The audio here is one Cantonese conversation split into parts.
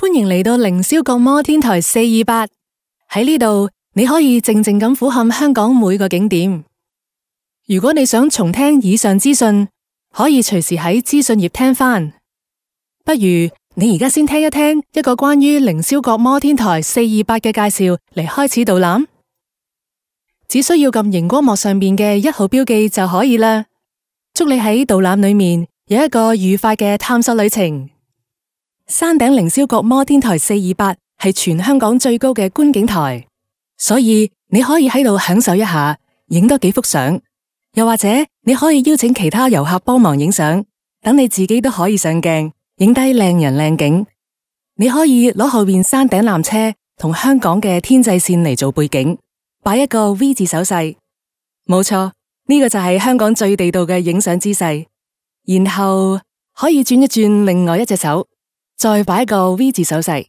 歡迎嚟到凌霄閣摩天台428，喺呢度你可以靜靜咁俯瞰香港每個景點。如果你想重聽以上資訊，可以隨時喺資訊頁聽返。不如你而家先聽一聽一個關於凌霄閣摩天台428嘅介紹嚟開始導覽。只需要撳熒光幕上面嘅1號標記就可以啦。祝你喺導覽裏面有一個愉快嘅探索旅程。山頂凌霄閣摩天台428係全香港最高嘅觀景台，所以你可以喺度享受一下，影多幾幅相，又或者你可以邀請其他遊客幫忙影相，等你自己都可以上鏡，影低靚人靚景。你可以攞後面山頂纜車同香港嘅天際線嚟做背景，擺一個 V 字手勢。冇錯，呢個就係香港最地道嘅影相姿勢。然後可以轉一轉另外一隻手，再擺一個 V 字手勢，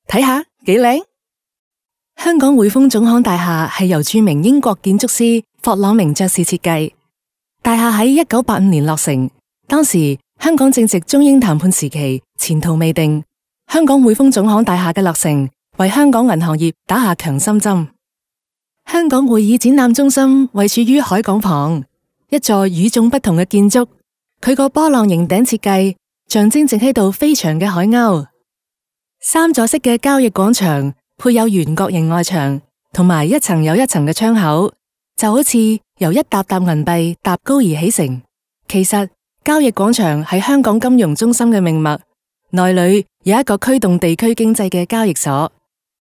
睇下幾靚。香港匯豐總行大廈係由著名英國建築師霍朗明爵士設計，大廈喺1985年落成。當時香港正值中英談判時期，前途未定。香港匯豐總行大廈嘅落成，為香港銀行業打下強心針。香港會議展覽中心位處於海港旁，一座與眾不同嘅建築。佢個波浪形頂設計，象徵正喺度飛翔嘅海鷗。三座式嘅交易廣場配有圓角形外牆，同埋一層又一層嘅窗口，就好似由一沓沓銀幣搭高而起成。其實交易廣場係香港金融中心嘅命脈，內裏有一個驅動地區經濟嘅交易所。